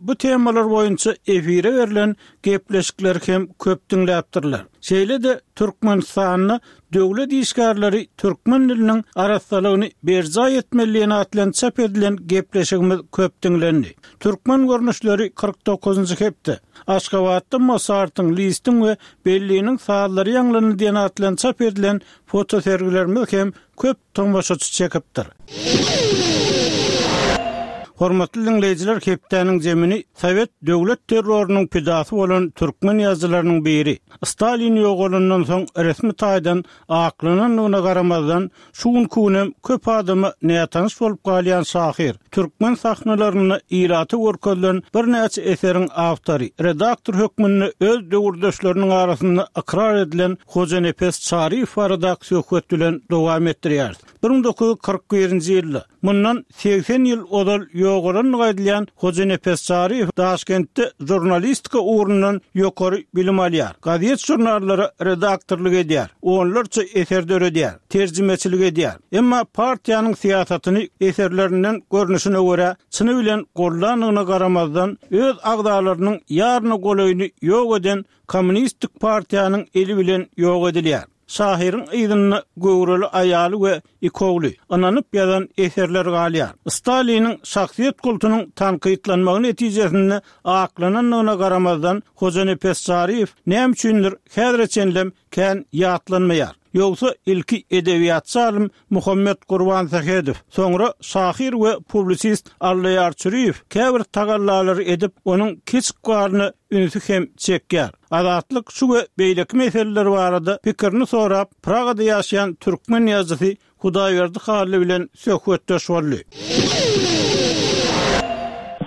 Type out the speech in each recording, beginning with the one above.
Bu temalar boýunça efire berlen gepleşikleri hem köp diňläpdirler. Şeýle-de Türkmenistanda döwlet işgärleri türkmen diliniň arassalygyny berjaý etmeli diýen at bilen çap edilen gepleşigimiz köp diňlendi. Türkmen görnüşleri 49-njy hepde, Aşgabatda Mosartyň, Listiň we Belliniň sazlary ýaňlandy diýen at bilen çap edilen fotosergilerimiz hem köp tomaşaçy çekipdir. Hormatly diňleýjiler hepdäniň zemini sowet döwlet terrorynyň pidasy bolan türkmen ýazyjylarynyň biri, Stalin ýogalandan soň resmi taýdan aklanandygyna garamazdan, şu günki günem köp adama nätanyş bolup galýan şahyr, türkmen sahnalarynda ilata görkezilen birnäçe eseriň awtory, redaktor hökmünde öz döwürdeşleriniň arasynda ykrar edilen Hojanepes Çaryýew baradaky söhbet bilen dowam etdirýäris. 1941-nji ýylda, mundan 80 ýyl ozal ýogalandygy aýdylýan Hojanepes Çaryýew Daşkentde žurnalistika ugrundan ýokary bilim alýar, gazet-žurnallara redaktorlyk edýär, onlarça eser döredýär, terjimeçilik edýär. Emma partiýanyň syýasatyny eserlerinden görnüşine görä, çyny bilen goldandygyna garamazdan, öz agzalarynyň ýaryna golaýyny ýok eden Kommunistik partiýanyň eli bilen ýok edilýär. Şahyryň yzynda göwreli aýaly we iki ogly, ynanyp ýazan eserleri galýar. Staliniň şahsyýet kultunyň tankytlanmagy netijesinde aklanandygyna garamazdan, Hojanepes Çaryýew näme üçindir häzire çenlem kän ýatlanmaýar. Ýogsa ilki edebiýatçy alym Muhammet Gurbansähedow, soňra şahyr we publisist Allaýar Çüriýew käbir tagallalary edip, onuň keç ykbalyna ünsi hem çekýär. Azatlyk şu we beýleki meseleler barada pikirini sorap, Pragada ýaşaýan türkmen ýazyjysy Hudaýberdi Hally bilen söhbetdeş boldy.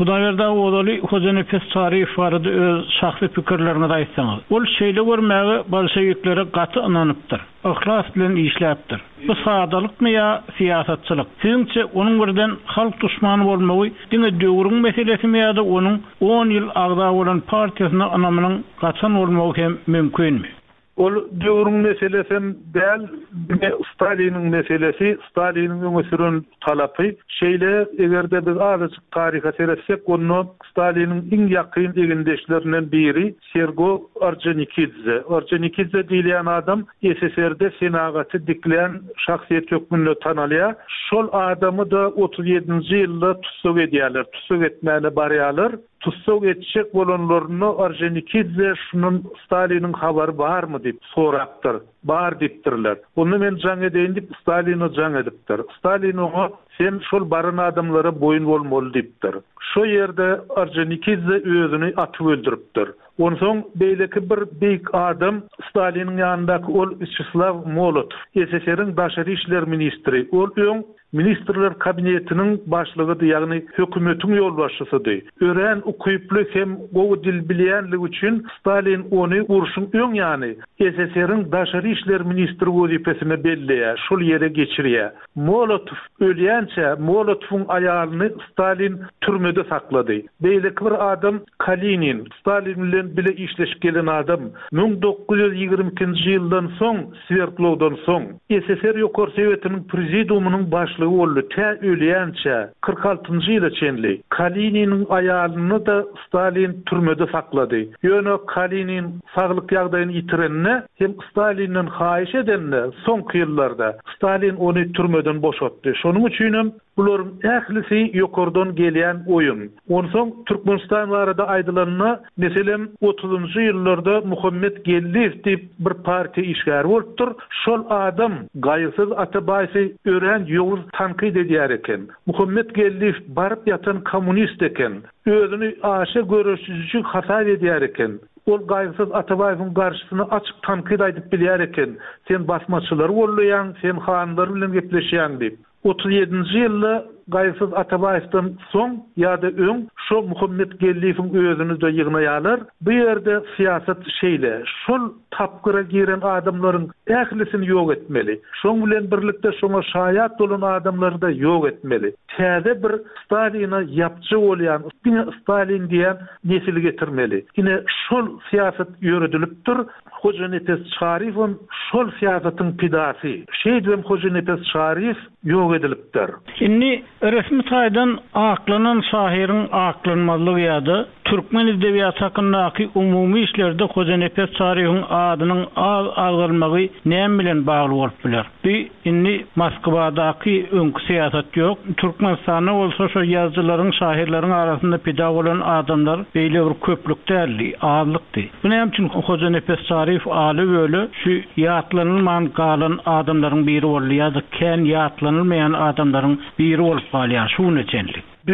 Hudaýberdi aga ozaly Hojanepes Çaryýew barada öz şahsy pikirleriňizi aýtsaňyz. Ol şeýle görmäge bolşewiklere gaty ynanypdyr. Yhlas bilen işläpdir. Bu sadalykmy ýa syýasatçylyk? Siziňçe onuň birden halk duşmany bolmagy diňe döwrüň meselesimi ýa-da onuň on ýyl agza bolan partiýasyna ynamynyň gaçan bolmagy hem mümkinmi? Ol döwrüň meselesem däl, diňe Staliniň meselesi, Staliniň öňe süren talapy. Şeýle, eger-de biz azajyk taryha seretsek, onda Staliniň iň ýakyn egindeşlerinden biri Sergo Orjonikidze. Orjonikidze diýilýän adam SSR-de senagaty diklän şahsyýet hökmünde tanalýar. Şol adamy-da 37-nji ýylda tussag edýärler, tussag etmäne barýarlar. Tussag etjek bolanlarynda Orjonikidze şundan Staliniň habary barmy diýip sorapdyr. Bar diýipdirler. Onda men jaň edeýin diýip Staline jaň edipdir. Stalin oňa sen şol baran adamlara boýun bolmaly diýipdir. Şo ýerde Orjonikidze özüni atyp öldüripdir. Onsoň beýleki bir beýik adam Staliniň ýanyndaky ol Wýaçeslaw Molotow, SSR-iň daşary işler ministri. Ol öň Ministrler Kabinetiniň başlygydy, ýagny hökümetiň ýolbaşçysydy. Örän ukyply hem gowy dil bilýänligi üçin Stalin ony urşuň öň ýany SSR-iň daşary işler ministri wezipesine belleýär, şol ýere geçirýär. Molotow ölýänçä Molotowyň aýalyny Stalin türmede saklady. Beýleki bir adam Kalinin, Stalin bilen bile işleşip gelen adam, 1922-nji ýyldan soň Swerdlowdan soň, SSR Ýokary Sowetiniň Prezidiumynyň başlygy boldy, tä ölýänçä, 46-njy ýyla çenli. Kalininiň aýalyny-da Stalin türmede saklady. Ýöne Kalinin saglyk ýagdaýyny ýitirende hem Stalinden haýyş edende, soňky ýyllarda, Stalin ony türmeden boşatdy. Şonuň üçinem Bularyň ählisi ýokardan gelýän oýun. Onsoň Türkmenistan barada aýdylanda, meselem, otuzynjy ýyllarda Muhammet Geldiýew diýip bir partiýa işgäri bolupdyr. Şol adam Gaýgysyz Atabaýewi örän ýowuz tankyt edýär eken. Muhammet Geldiýew baryp ýatan kommunist eken. Özüni aşa göreşiji hasap edýär eken. Ol Gaýgysyz Atabaýewiň garşysyna açyk tankyt aýdyp bilýär eken, Sen basmaçylary gollaýaň, sen hanlar bilen gepleşýäň diýip. 37-nji ýylda Gaýgysyz Atabaýewden soň ýa-da öň şo Muhammet Geldiýewiň özüni-de ýygnaýarlar. Bu ýerde syýasat şeýle, şol tapgyra giren adamlaryň ählisini ýok etmeli. Şoň bilen birlikde şoňa şaýat bolan adamlary-da ýok etmeli. Täze bir Staline ýapja bolýan, diňe Stalin diýýän nesili getirmeli. Ine, şol syýasat ýöredilipdir. Hojanepes Çaryýewem şol syýasatyň pidasy. Şeýdibem Hojanepes Çaryýew ýok edilipdir. Indi. Resmi taýdan aklanan şahyryň aklanmazlygy ýa-da türkmen edebiýaty hakyndaky umumy işlerde Hojanepes Çaryýewiň adynyň az agzalmagy näme bilen bagly bolup biler? Bu indi Moskwadaky öňki syýasat ýok. Türkmenistanda bolsa şo ýazyjylaryň, şahyrlaryň arasynda pida bolan adamlar beýle bir köplük däldi, azlykdy. Bu näme üçin Hojanepes Çaryýew ala-böle şu ýatlanylman galan adamlaryň biri boldy ýa-da kän ýatlanylmaýan adamlaryň biri bolup galýar şu güne çenli? Bu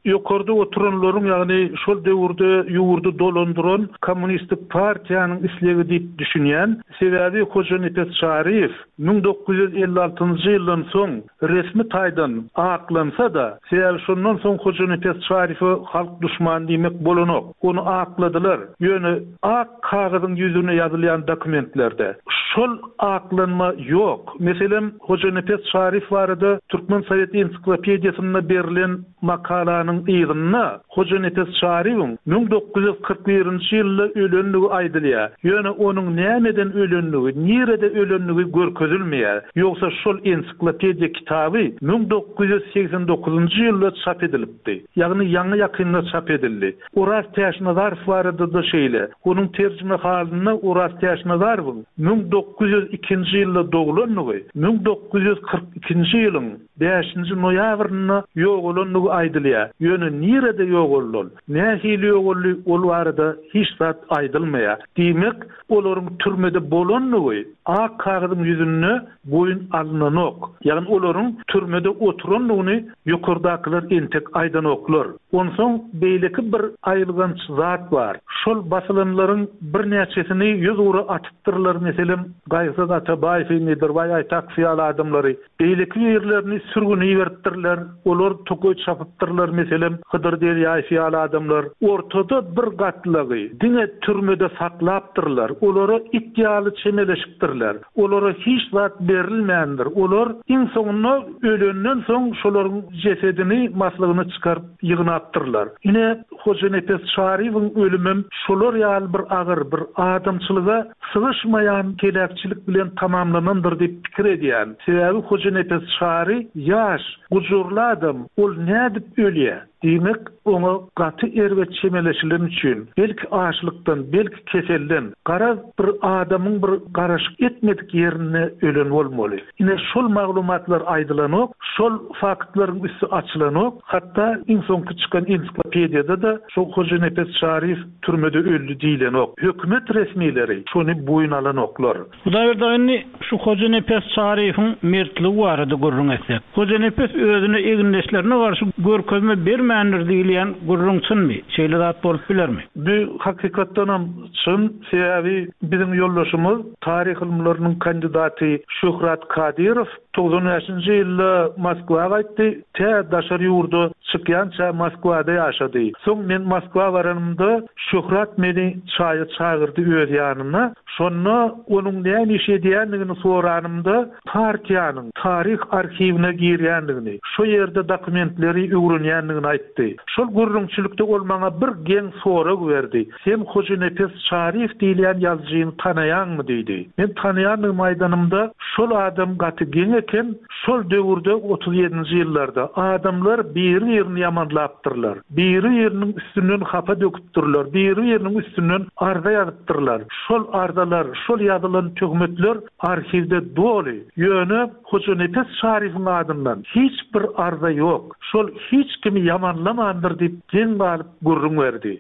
ýokarda oturanlaryň, ýagny şol döwürde ýurdy dolandyran Kommunistik partiýanyň islegi diýip düşünýän. Sebäbi Hojanepes Çaryýew 1956-njy ýyldan soň resmi taýdan aklansa-da, sebäbi şondan soň Hojanepes Çaryýewe halk duşmany diýmek bolanok. Ony akladylar. Ýöne ak kagyzyň ýüzüne ýazylýan dokumentlerde şol aklanma ýok. Meselem, Hojanepes Çaryýew barada Türkmen sowet ensiklopediýasynda berlen makalanyň yzynda Hojanepes Çaryýewiň 1941-nji ýylda ölendigi aýdylýar. Ýöne onuň nämeden ölendigi, nirede ölendigi görkezilmeýär. Ýogsa şol ensiklopediýa kitaby 1989-njy ýylda çap edilipdi. Ýagny ýaňy-ýakynda çap edildi. Oraz Täçnazarow barada-da şeýle. Onuň terjimehalynda Oraz Täçnazarowyň 1902-nji ýylda doglandygy, 1942-nji ýylyň bäşinji noýabrynda ýogalandygy aýdylýar. Ýöne nirede ýogaldy ol, nähili ýogaldy, ol barada hiç zat aýdylmaýar. Diýmek, olaryň türmede bolandygy ak kagyzyň ýüzünde boýun alynanok. Ýagny olaryň türmede oturandygyny ýokardakylar entek aýdanoklar. Onsoň beýleki bir aýylganç zat bar. Şol basylanlaryň birnäçesini ýüzugra atypdyrlar, meselem, Gaýgysyz Atabaýewi, Nedirbaý Aýtakow ýaly adamlary. Beýleki birlerini sürgüne iberipdirler, olar tokaý çapypdyrlar, meselem, Hydyr Derýaýew ýaly adamlar. Ortada bir gatlagy diňe türmede saklapdyrlar, olara it ýaly çemeleşipdirler. Olara hiç zat berilmändir. Olar iň soňunda ölenden soň şolaryň jesedini, maslygyny çykaryp ýygnapdyrlar. Ine, Hojanepes Çaryýewiň ölümem şolar ýaly bir agyr, bir adamçylyga sygyşmaýan heläkçilik bilen tamamlanandyr diýip pikir edýän. Sebäbi Hojanepes Çary ýaş, gujurly adam, ol nädip ölýä? Diýmek, oňa gaty erbet çemeleşileni üçin, belki açlykdan, belki keselden, garaz, bir adamyň bir garaşyk etmedik ýerinde ölen bolmaly. Ine, şol maglumatlar aýdylanok, şol faktlaryň üsti açylanok. Hatda iň soňky çykan ensiklopediýada-da şo Hojanepes Çaryýew türmede öldi diýlenok. Hökümet resmileri şony boýun alanoklar. Hudaýberdi aga indi şu Hojanepes Çaryýewiň mertligi barada gürrüň etsek. Hojanepes özüne egindeşlerine garşy görkezme bermändir diýilýän gürrüň çynmy? Şeýle zat bolup bilermi? Bu hakykatdanam çyn, sebäbi biziň ýoldaşymyz, taryh ylymlarynyň kandidaty Şöhrat Kadyrow 95-nji ýylda Moskwa gaýtdy, tä daşary ýurda çykýança Moskwada ýaşady. Soň men Moskwa baranymda Şöhrat meni çaýa çagyrdy öz ýanyna. Şonda onuň näme iş edýändigini soranymda, partiýanyň taryh arhiwine girýändigini, şo ýerde dokumentleri öwrenýändigini aýtdy. Şol gürrüňçilikde ol maňa bir geň sorag berdi, Sen Hojanepes Çaryýew diýilýän ýazyjyny tanaýaňmy? diýdi. Men tanaýandygymy aýdanymda, şol adam gaty geň eken, Şol döwürde, 37-nji ýyllarda, adamlar biri-birini ýamanlapdyrlar, biri-biriniň üstünden hapa döküpdirler, biri-biriniň üstünden arza ýazypdyrlar. Şol arzalar, şol ýazylan töhmetler arhiwde doly. Ýöne Hojanepes Şarifiň adyndan hiç bir arza ýok. Şol hiç kimi ýamanlamandyr diýip geň galyp gürrüň berdi.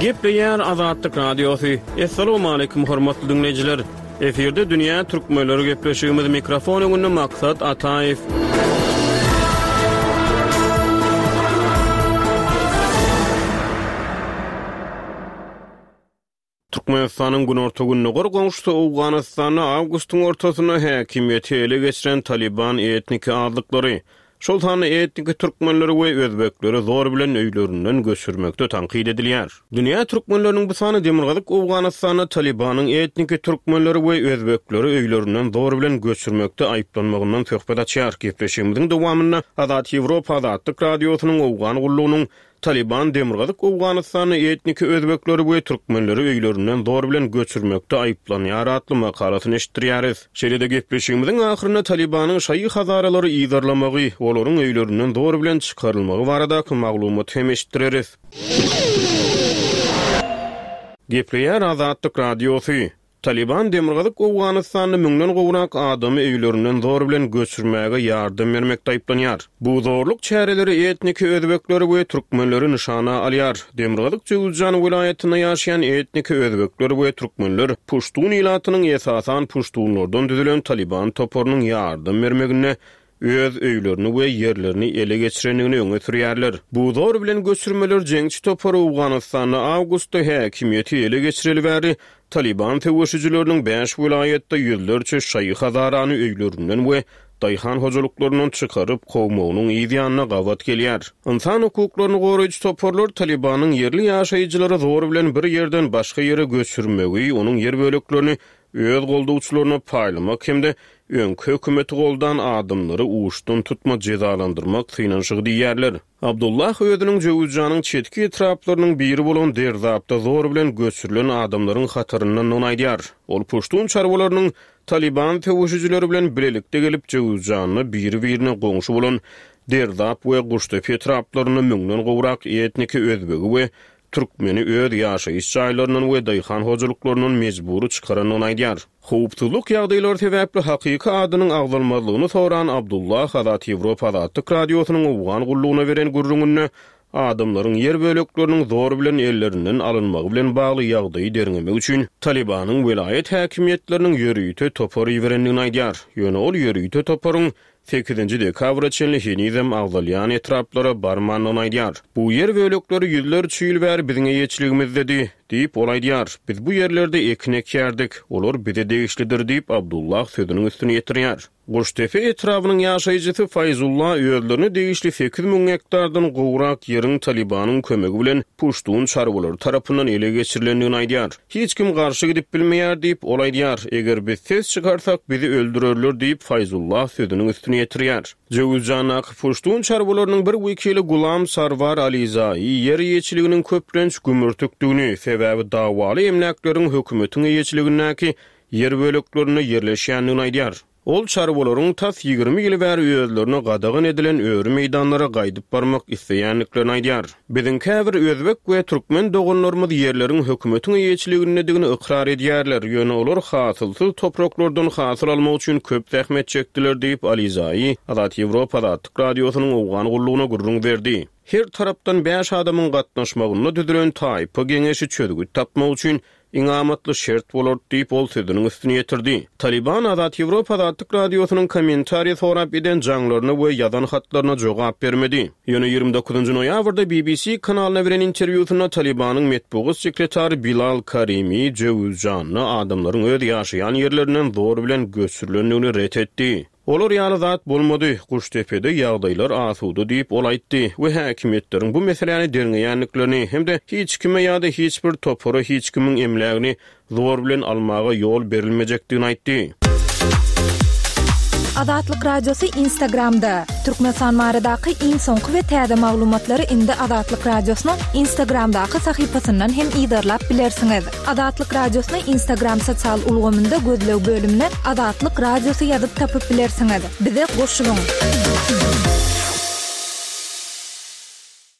Gepleýär Azatlyk Radiosy. Assalamualaikum hormatly dinleýjiler. Efirde dünýä türkmenleri gepleşigimiz mikrofon öňünde Maksat Ataýew. Türkmenistanyň günorta-gündogar goňşusy Owganystanda awgustyň ortasynda häkimiýeti ele geçiren Talyban etniki azlyklary, şol sanda etniki türkmenleri we özbekleri zor bilen öýlerinden göçürmekde tankyt edilýär. Dünýä türkmenleriniň bu sany demirgazyk Owganystanda Talybanyň etniki türkmenleri we özbekleri öýlerinden zor bilen göçürmekde aýyplanmagyndan söhbet açýar. Gepleşigimiziň dowamynda Azat Ýewropa Azatlyk Radiosynyň Owgan gullugynyň. Talyban Demirgazyk Owganystanda etniki özbekleri we türkmenleri öýlerinden zor bilen göçürmekde aýyplanýar atly makalasyny eşitdirýäris. Şeýle-de gepleşigimiziň ahyrynda Talybanyň şaýy hazaralary yzarlamagy, olaryň öýlerinden zor bilen çykarylmagy baradaky maglumaty hem eşitdireris. Gepleýär Azatlyk Radiosy. Talyban Demirgazyk Owganystanda müňden gowrak adamy öýlerinden zor bilen göçürmäge ýardam bermekde aýyplanýar. Bu zorluk çäreleri etniki özbekleri we türkmenleri nyşana alýar. Demirgazyk Jöwüzjan welaýatynda ýaşaýan etniki özbekler we türkmenler puştun ilatynyň esasan puştunlardan düzülen Talyban toparynyň ýardam bermeginde öz öýlerini we ýerlerini ele geçirendigini öňe sürýärler. Bu zor bilen göçürmeler jeňçi topary Owganystanda awgustda häkimiýeti ele geçireli bäri Talyban söweşijileriniň bäş welaýatda ýüzlerçe şaýy hazarany öýlerinden we daýhan hojalyklaryndan çykaryp kowmagynyň yz ýanyna gabat gelýär. Ynsan hukuklaryny goraýjy toparlar Talybanyň ýerli ýaşaýjylary zor bilen bir ýerden başga ýere göçürmegi, onuň ýer böleklerini öz goldawçylaryna paýlamak hem-de öňki hökümeti goldan adamlary uçdan-tutma jezalandyrmak synanyşygy diýýärler. Abdullah özüniň Jöwüzjanyň çetki etraplarynyň biri bolan Derzapda zor bilen göçürilen adamlaryň hataryndandygyny aýdýar. Ol puştun çarwalarynyň Talyban söweşijileri bilen bilelikde gelip Jöwüzjanda biri-birine goňşy bolan Derzap we Guştepe etraplarynda müňden gowrak etniki özbegi we türkmeni öz ýaşaýyş jaýlaryndan we daýhan hojalyklaryndan mejbury çykarandygyny aýdýar. Howpsuzlyk ýagdaýlary sebäpli hakyky adynyň agzalmazlygyny soran Abdullah Azat Ýewropa Azatlyk Radiosynyň Owgan gullugyna beren gürrüňinde adamlaryň ýer bölekleriniň zor bilen ellerinden alynmagy bilen bagly ýagdaýy derňemek üçin Talybanyň welaýat häkimiýetleriniň ýörite topar iberendigini aýdýar. Ýöne ol ýörite toparyň Sekizinji dekabra çenli henizem agzalýan etraplara barmandygyny aýdýar. Bu ýer bölekleri ýüzlerçe ýyl bäri biziň eýeçiligimizdedi, diýip, ol aýdýar. Biz bu ýerlerde ekin ekýärdik. Olar bize degişlidir, diýip, Abdullah sözüniň üstüni ýetirýär. Guştepe etrabynyň ýaşaýjysy Faýzulla özlerine degişli 8000 gektardan gowrak ýeriň Talybanyň kömegi bilen puştun çarwalary tarapyndan ele geçirilendigini aýdýar. Hiç kim garşy gidip bilmeýär diýip, ol aýdýar. Eger biz ses çykarsak, bizi öldürerler diýip, Faýzullah sözüniň üstüni ýetirýär. Jöwüzjandaky puştun çarwalarynyň bir wekili Gulam Sarwar Alizai ýer eýeçiliginiň köplenç gümürtikdigini, sebäbi dawaly emläkleriň hökümetiň eýeçiligindäki ýer böleklerinde ýerleşýändigini aýdýar. Ol çarwalaryň tas 20 ýyl bäri özlerine gadagan edilen öri meýdanlara gaýdyp barmak isleýändiklerini aýdýar. Biziň käbir özbek we türkmen doganlarymyz ýerleriň hökümetiň eýeçiligindedigini ykrar edýärler, ýöne olar hasylsyz topraklardan hasyl almak üçin köp zähmet çekdiler diýip, Alizai Azat Ýewropa Azatlyk Radiosynyň Owgan gullugyna gürrüň berdi. Her tarapdan bäş adamyň gatnaşmagynda düzülen taýpa geňeşi çözgüt tapmak üçin iň amatly şert bolardy diýip, ol sözüniň üstüni ýetirdi. Talyban Azat Ýewropa Azatlyk Radiosynyň kommentariý sorap eden jaňlaryna we ýazan hatlaryna jogap bermedi. Ýöne 29 noýabrda BBC kanalyna beren interwýusynda Talybanyň metbugat sekretary Bilal Karimi Jöwüzjanda adamlaryň öz ýaşaýan ýerlerinden zor bilen göçürilendigini ret etdi. Olar ýaly zat bolmady, Guşdepede ýagdaýlar asuda diýip, ol aýtdy we häkimiýetleriň bu meseläni derňeýändiklerini hem-de hiç kime ýa-da hiç bir topara hiç kimiň emlägini zor bilen almaga ýol berilmejekdigini aýtdy. Azatlyk Radiosy Instagramda, Türkmenistan baradaky iň soňky we täze maglumatlary indi Azatlyk Radiosynyň Instagramdaky sahypasyndan hem yzarlap bilersiňiz. Azatlyk Radiosyny Instagram sosial ulgamynda gözleg bölümine Azatlyk Radiosy ýazyp tapyp bilersiňiz. Bize goşulyň!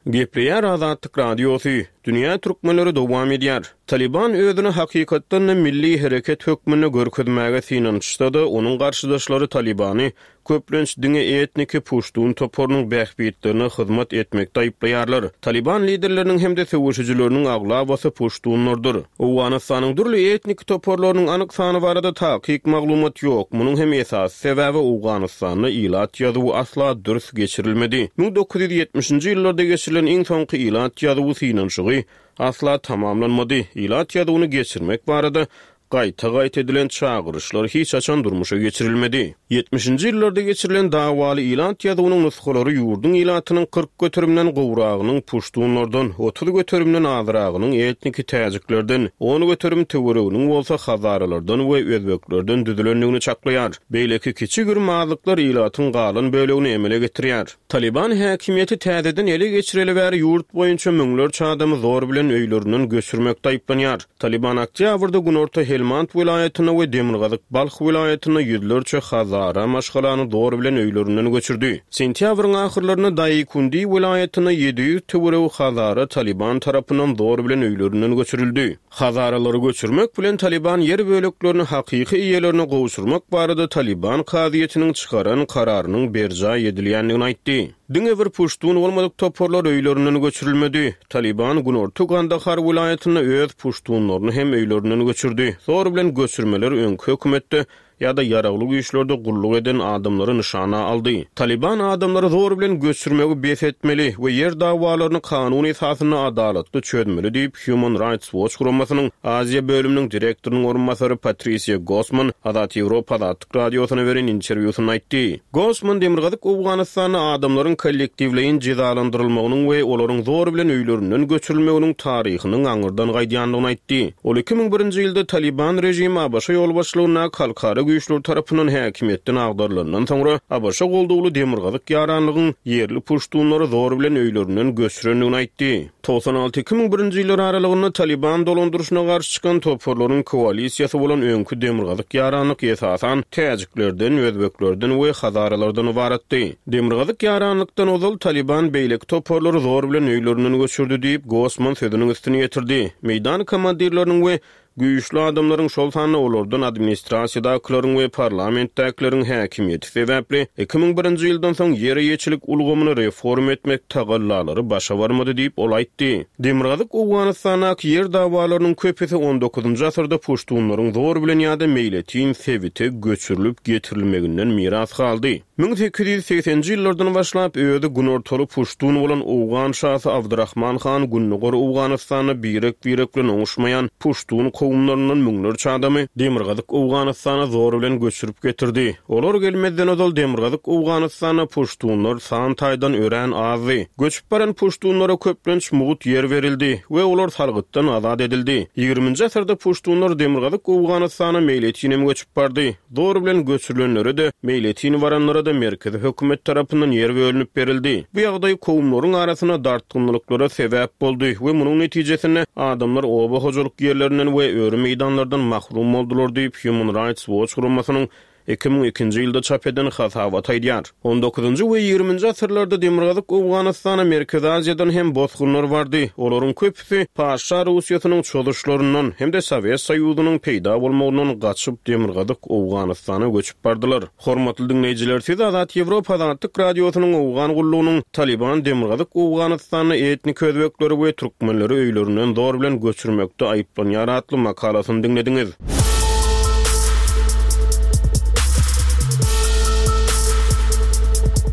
Gepleýär Azatlyk Radiosy, Dünýä türkmenleri dowam edýär. Talyban özüni hakykatdan-da milli hereket hökmünde görkezmäge synanyşsa-da, onuň garşydaşlary Talybany köplenç diňe etniki puştun toparynyň bähbitlerine hyzmat etmekde aýyplaýarlar. Talyban liderleriniň hem-de söweşijileriniň aglabasy puştunlardyr. Owganystanyň dürli etniki toparlarynyň anyk sany barada takyk maglumat ýok. Munuň hem esasy sebäbi Owganystanda ilat ýazuwy asla dürs geçirilmedi. 1970-nji ýyllarda geçirilen iň soňky ilat ýazuwy synanyşygy asla tamamlanmady. Ilat ýazuwyny geçirmek barada. Gaýta-gaýta edilen çagyryşlar hiç haçan durmuşa geçirilmedi. Ýetmişinji ýyllarda geçirilen dawaly ilat ýazuwynyň nusgalary ýurduň ilatynyň 40 göterimden gowragynyň puştunlardan, 30 göterimden azragynyň etniki täjiklerden, on göterim töwereginiň bolsa hazaralardan we özbeklerden düzülendigini çaklaýar. Beýleki kiçi-girim azlyklar ilatyň galan bölegini emele getirýär. Talyban häkimiýeti täzeden ele geçireli bäri ýurt boýunça müňlerçe adamy zor bilen öýlerinden göçürmekde aýyplanýar. Talyban oktýabrda günorta Helmand welaýatynda we demirgazyk Balh welaýatynda ýüzlerçe hazara maşgalany zor bilen öýlerinden göçürdi. Sentýabryň ahyrlarynda Daýkundi welaýatynda 700 töweregi hazara Talyban tarapyndan zor bilen öýlerinden göçürildi. Hazaralary göçürmek bilen Talyban ýer böleklerini hakyky eýelerine gowşurmak barada Talyban kazyýetiniň çykaran kararynyň berjaý edilýändigini aýtdy. Diňe bir puştun bolmadyk toparlar öýlerinden göçürilmedi. Talyban günorta Gandahar welaýatynda öz puştunlaryny hem öýlerinden göçürdi. Zor bilen göçürmeler öňki hökümetde ýa-da ýaragly güýçlerde gulluk eden adamlary nyşana aldy. Talyban adamlary zor bilen göçürmegi bes etmeli we ýer dawalaryny kanun esasynda adalatly çözmeli diýip, Human Rights Watch guramasynyň Aziýa bölüminiň direktorynyň orunbasary Patrisiýa Gosman Azat Ýewropa Azatlyk Radiosyna beren interwýusynda aýtdy. Gosman Demirgazyk Owganystanda adamlaryň kollektiwleýin jezalandyrylmagynyň we olaryň zor bilen öýlerinden göçürilmeginiň taryhynyň aňyrdan gaýdýandygyny aýtdy. Ol 2001-nji ýylda Talyban režimi ABŞ ýolbaşçylygyndaky halkara güýçleri tarapyndan häkimiýetden agdarylandan soňra ABŞ goldawly Demirgazyk ýaranlygyň ýerli puştunlary zor bilen öýlerinden göçürendigini aýtdy. 96, 2001-nji ýyllar aralygynda Talyban dolandyryşyna garşy çykan toparlaryň koalisiýasy bolan öňki Demirgazyk ýaranlyk esasan täjiklerden, özbeklerden we hazaralardan ybaratdy. Demirgazyk ýaranlykdan ozal Talyban beýleki toparlary zor bilen öýlerinden göçürdi diýip, Gosman sözüniň üstüni ýetirdi. Meýdan komandirleriniň we Güýçli adamlaryň, şol sanda olardan administrasiýadakylaryň we parlamentdäkileriň häkimiýeti sebäpli, 2001-nji ýyldan soň ýer eýeçilik ulgamyny reforma etmek tagallalary başa barmady diýip, ol aýtdy. Demirgazyk Owganystandaky ýer dawalarynyň köpüsi on dokuzynjy asyrda puştunlaryň zor bilen ýa-da meýletin sebite göçürilip getirilmeginden miras galdy. 1880-nji ýyllardan başlap, özi günortaly puştun bolan owgan şasy Abdyrahman han Gündogar Owganystanda birek-birek bilen oňuşmaýan puştun kowumlaryndan müňlerçe adamy Demirgazyk Owganystana zor bilen göçürip getirdi. Olar gelmezden ozal Demirgazyk Owganystanda puştunlar san taýdan örän azdy. Göçüp baran puştunlara köplenç mugt ýer berildi we olar salgytdan azat edildi. Ýigriminji asyrda puştunlar Demirgazyk Owganystana meýletinem göçüp bardy. Zor bilen göçürilenlere-de, meýletin baranlara-da merkezi hökümet tarapyndan ýer bölünip berildi. Bu ýagdaý kowumlaryň arasynda dartgynlylyklara sebäp boldy we munuň netijesinde adamlar oba hojalyk ýerlerinden we öri meýdanlardan mahrum boldular diýip, Human Rights Watch guramasynyň 2002-nji ýylda çap eden hasabaty aýdýar. On dokuzynjy we ýigriminji asyrlarda Demirgazyk Owganystana Merkezi Aziýadan hem bosgunlar bardy. Olaryň köpüsi Patyşa Russiýasynyň çozuşlaryndan hem-de Sowet Soýuzynyň peýda bolmagyndan gaçyp Demirgazyk Owganystana göçüp bardylar. Hormatly diňleýjiler, siz Azat Ýewropa Azatlyk Radiosynyň Owgan gullugynyň Talyban Demirgazyk Owganystanda etnik özbekleri we türkmenleri öýlerinden zor bilen göçürmekde aýyplanýar atly makalasyny diňlediňiz.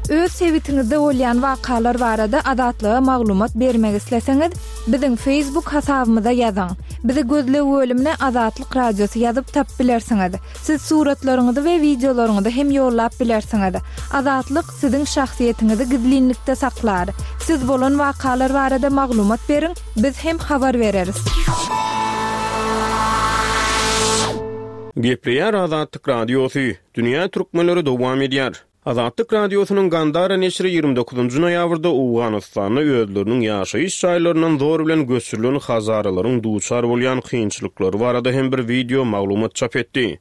Öz sebitiňizde bolýan wakalar barada Azatlyga maglumat bermek isleseňiz, biziň Facebook hasabymyza ýazyň. Bizi gözleg bölümine Azatlyk Radiosy ýazyp tapyp bilersiňiz. Siz suratlaryňyzy we wideolaryňyzy hem ýollap bilersiňiz. Azatlyk siziň şahsyýetiňizi gizlinlikde saklar. Siz bolan wakalar barada maglumat beriň, biz hem habar bereris. Gepleýär Azatlyk Radiosy, Dünýä türkmenleri dowam edýär. Azatlyk Radiosynyň Gandara neşiri 29 noýabrda Owganystanda özleriniň ýaşaýyş jaýlaryndan zor bilen göçürilen hazaralaryň duçar bolýan kynçylyklary barada hem bir wideo maglumat çap etdi.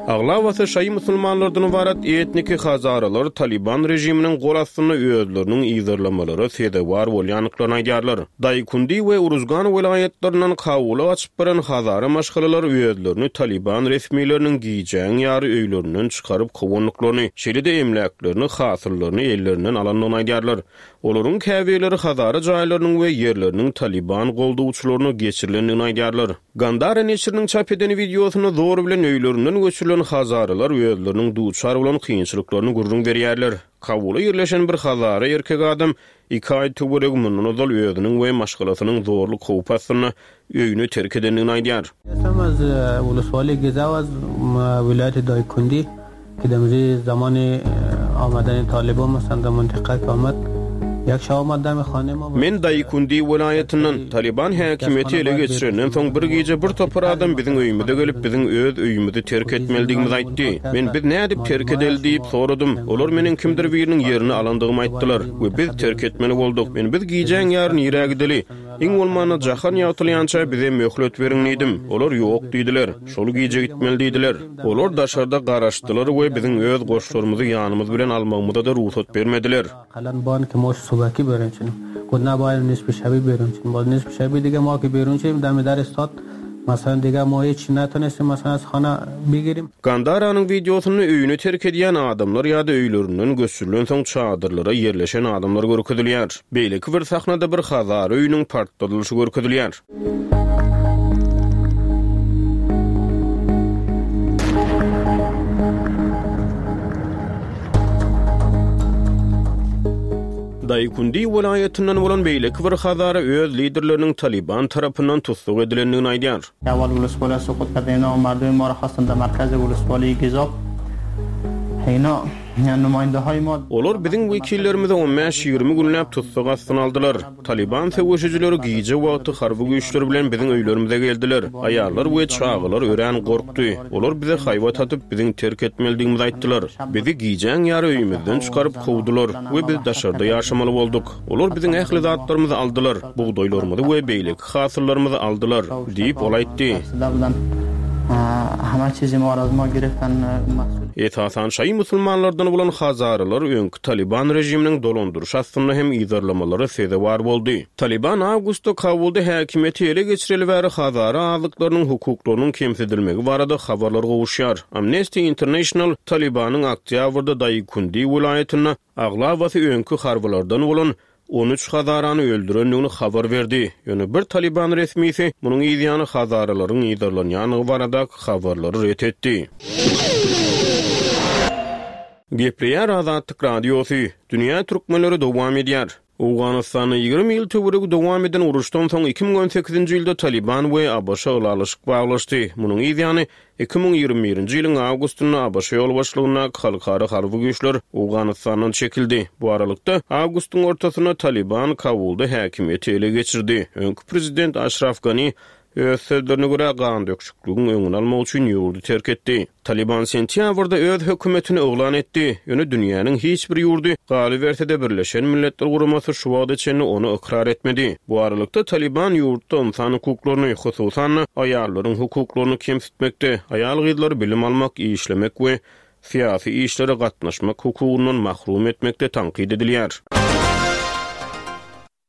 Aglabasy şaýy musulmanlardan ybarat etniki hazaralar Talyban režiminiň gol astynda özleriniň yzarlamalara sezewar bolýandyklaryny aýdýarlar. Daýkundi we Uruzgan welaýatlaryndan Kabula gaçyp baran hazara maşgalalar özlerini Talyban resmileriniň gijäň ýary öýlerinden çykaryp kowandyklaryny, şeýle-de emläklerini, hasyllaryny ellerinden alandygyny aýdýarlar. Olaryň käbirleri hazara jaýlarynyň we ýerleriniň Talyban goldawçylaryna geçirilendigini aýdýarlar. Gandara neşiriniň çap eden wideosynda zor bilen öýlerinden göçürilen hazara. hazaralar özleriniň duçar bolan kynçylyklaryny gürrüň berýärler. Kabulda ýerleşen bir hazara erkek adam iki aý töweregi mundan ozal özüniň we maşgalasynyň zorluk howpy astynda öýüni terk edendigini aýdýar. Men Daýkundi welaýatyndan. Talyban häkimiýeti ele geçirenden soň bir gije bir topar adam biziň öýümize gelip, biziň öz öýümizi terk etmelidigimizi aýtdy. Men biz nädip terk edeli diýip soradym. Olar meniň kimdir biriniň ýerini alandygymy aýtdylar we biz terk etmeli bolduk. Men biz gijäň ýary nirä gideli? Iň bolmanda jahan ýagtylýança bize möhlet beriň diýdim. Olar ýok diýdiler. Şol gije gitmeli diýdiler. Olar daşarda garaşdylar we biziň öz goşlarymyzy ýanymyz bilen almagymyza-da rugsat bermediler. Gandaranyň wideosynda öýüni terk edýän adamlar ýa-da öýlerinden göçürilensoň çadyrlara ýerleşen adamlar görkezilýär. Beýleki bir sahnada bir hazar öýüniň partladylyşy görkezilýär. Daýkundi welaýatyndan bolan beýleki bir hazara öz liderleriniň Talyban tarapyndan tussag edilendigini aýdýar. Olar biziň wekillerimizi on bäş-ýigrimi günläp tussag astyna aldylar. Talyban söweşijileri gije wagty harby güýçler bilen biziň öýlerimize geldiler. Aýallar we çagalar örän gorkdy. Olar bize haýbat atyp, biziň terk etmelidigimizi aýtdylar. Bizi gijäň ýary öýümizden çykaryp kowdular we biz daşarda ýaşamaly bolduk. Olar biziň ähli zatlarymyzy aldylar, bugdaýlarymyzy we beýleki hasyllarymyzy aldylar, diýip, ol aýtdy. Esasan şaýy musulmanlardan bolan hazaralar öňki Talyban režiminiň dolandyryşy astynda hem yzarlamalara sezewar boldy. Talyban awgustda Kabulda häkimiýeti ele geçireli bäri hazara azlyklarynyň hukuklarynyň kemsidilmegi barada habarlar gowuşýar. Amnesty International Talybanyň oktýabrda Daýkundi welaýatynda aglabasy öňki harbylardan bolan 13 hazarany öldürendigini habar berdi. Ýöne bir talyban resmisi munuň yzýany hazaralaryň yzarlanýandygy baradaky habarlary ret etdi. Gepleýär Azatlyk Radiosy, Dünýä türkmenleri dowam edýär. Owganystanda 20 ýyl töweregi dowam eden uruşdan soň 2018-nji ýylda Talyban we ABŞ ylalaşyk baglaşdy. Munuň yz ýany, 2021-nji ýylyň awgustynda ABŞ ýolbaşçylygyndaky halkara harby güýçler Owganystandan çekildi. Bu aralykda, awgustyň ortasynda Talyban Kabulda häkimiýeti ele geçirdi. Öňki prezident Aşraf Gani Öz sözlerine görä, gandöküşikligiň öňüni almak üçin ýurdy terk etdi. Talyban sentýabrda öz hökümetini yglan etdi, ýöne dünýäniň hiç bir ýurdy, galyberse-de Birleşen Milletler Guramasy şu wagta çenli ony ykrar etmedi. Bu aralykda, Talyban ýurtda ynsan hukuklaryny, hususan-da, aýallaryň hukuklaryny kemsitmekde, aýal-gyzlary bilim almak, işlemek we syýasy işlere gatnaşmak hukugyndan mahrum etmekde tankyt edilýär.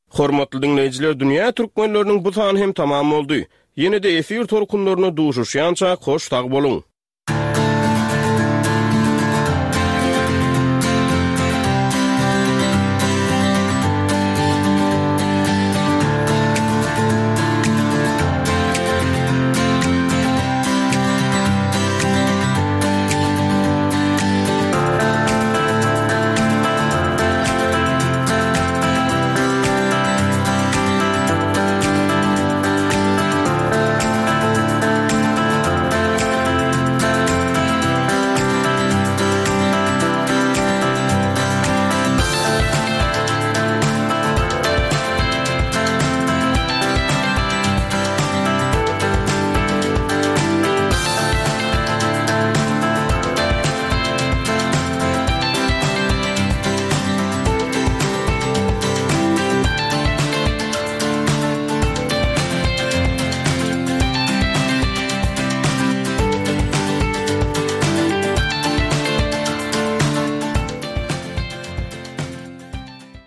Hormatly diňleýjiler Dünýä Türkmenleriniň bu sany hem tamam boldy. Ýene-de efir tolkunlarynda duşuşýançak hoş sag boluň!